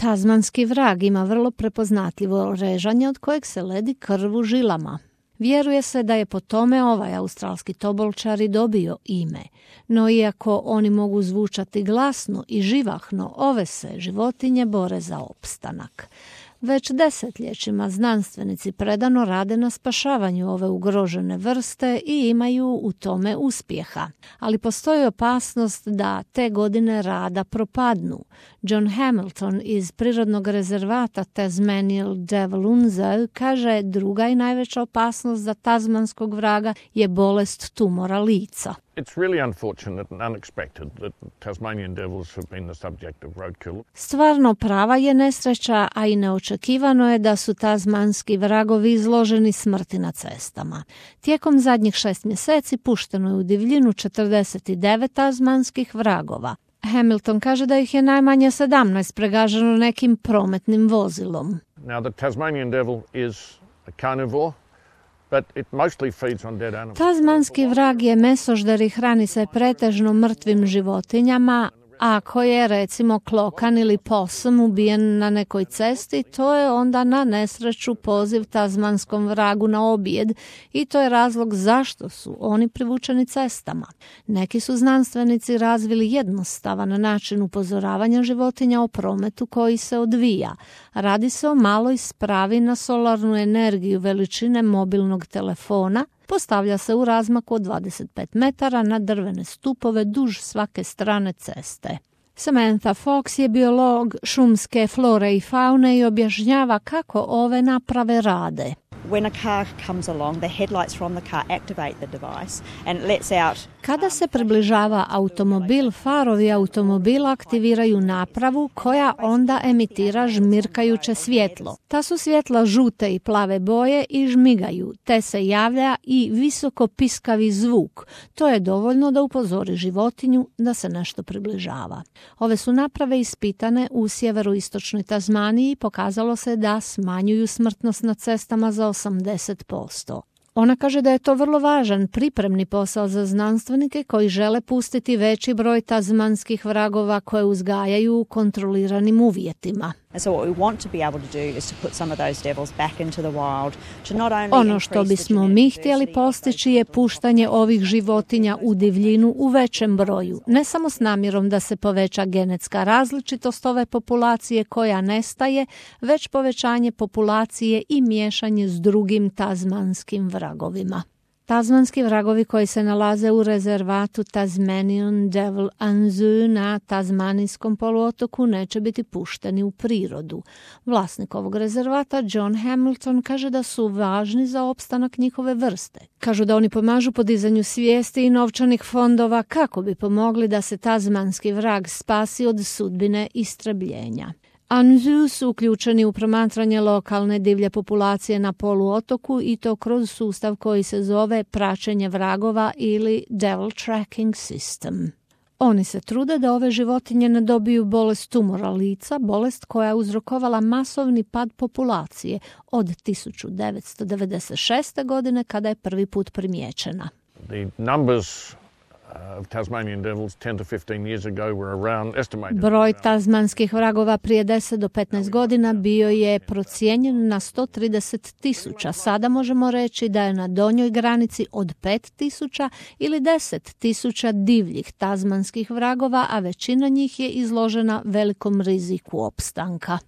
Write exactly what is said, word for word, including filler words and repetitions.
Tazmanski vrag ima vrlo prepoznatljivo režanje od kojeg se ledi krv u žilama. Vjeruje se da je po tome ovaj australski tobolčar i dobio ime, no iako oni mogu zvučati glasno i živahno, ove se životinje bore za opstanak. Već desetljećima znanstvenici predano rade na spašavanju ove ugrožene vrste i imaju u tome uspjeha. Ali postoji opasnost da te godine rada propadnu. John Hamilton iz prirodnog rezervata Tasmanian Devil Unser kaže druga i najveća opasnost za tazmanskog vraga je bolest tumora lica. It's really unfortunate and unexpected that Tasmanian devils have been the subject of roadkill. Stvarno prava je nesreća, a i neočekivano je da su tazmanski vragovi izloženi smrti na cestama. Tijekom zadnjih šest mjeseci pušteno je u divljinu četrdeset devet tazmanskih vragova. Hamilton kaže da ih je najmanje sedamnaest pregaženo nekim prometnim vozilom. Now the Tasmanian devil is a carnivore. Tazmanski vrag je mesožder i hrani se pretežno mrtvim životinjama. Ako je recimo klokan ili possum ubijen na nekoj cesti, to je onda na nesreću poziv tazmanskom vragu na objed i to je razlog zašto su oni privučeni cestama. Neki su znanstvenici razvili jednostavan način upozoravanja životinja o prometu koji se odvija. Radi se o maloj spravi na solarnu energiju veličine mobilnog telefona. Postavlja se u razmaku od dvadeset pet metara na drvene stupove duž svake strane ceste. Samantha Fox je biolog šumske flore i faune i objašnjava kako ove naprave rade. When a car comes along, the headlights from the car activate the device and lets out. Kada se približava automobil, farovi automobila aktiviraju napravu koja onda emitira žmirkajuće svjetlo. Ta su svjetla žute i plave boje i žmigaju, te se javlja i visoko piskavi zvuk. To je dovoljno da upozori životinju da se nešto približava. Ove su naprave ispitane u sjeveroistočnoj Tazmaniji i pokazalo se da smanjuju smrtnost na cestama za osamdeset posto. Ona kaže da je to vrlo važan pripremni posao za znanstvenike koji žele pustiti veći broj tazmanskih vragova koje uzgajaju u kontroliranim uvjetima. Ono što bismo mi htjeli postići je puštanje ovih životinja u divljinu u većem broju, ne samo s namjerom da se poveća genetska različitost ove populacije koja nestaje, već povećanje populacije i miješanje s drugim tazmanskim vragovima. Tazmanski vragovi koji se nalaze u rezervatu Tasmanian Devil Unser na Tazmanijskom poluotoku neće biti pušteni u prirodu. Vlasnik ovog rezervata, John Hamilton, kaže da su važni za opstanak njihove vrste. Kažu da oni pomažu podizanju svijesti i novčanih fondova kako bi pomogli da se tazmanski vrag spasi od sudbine istrebljenja. Unser su uključeni u promatranje lokalne divlje populacije na poluotoku i to kroz sustav koji se zove praćenje vragova ili Devil Tracking System. Oni se trude da ove životinje ne dobiju bolest tumora lica, bolest koja je uzrokovala masovni pad populacije od tisuću devetsto devedeset šeste. godine kada je prvi put primijećena. The numbers of Tasmanian devils ten to fifteen years ago were around estimated. Broj tazmanskih vragova prije deset do petnaest godina bio je procijenjen na sto trideset tisuća. Sada možemo reći da je na donjoj granici od pet tisuća ili deset tisuća divljih tazmanskih vragova, a većina njih je izložena velikom riziku opstanka.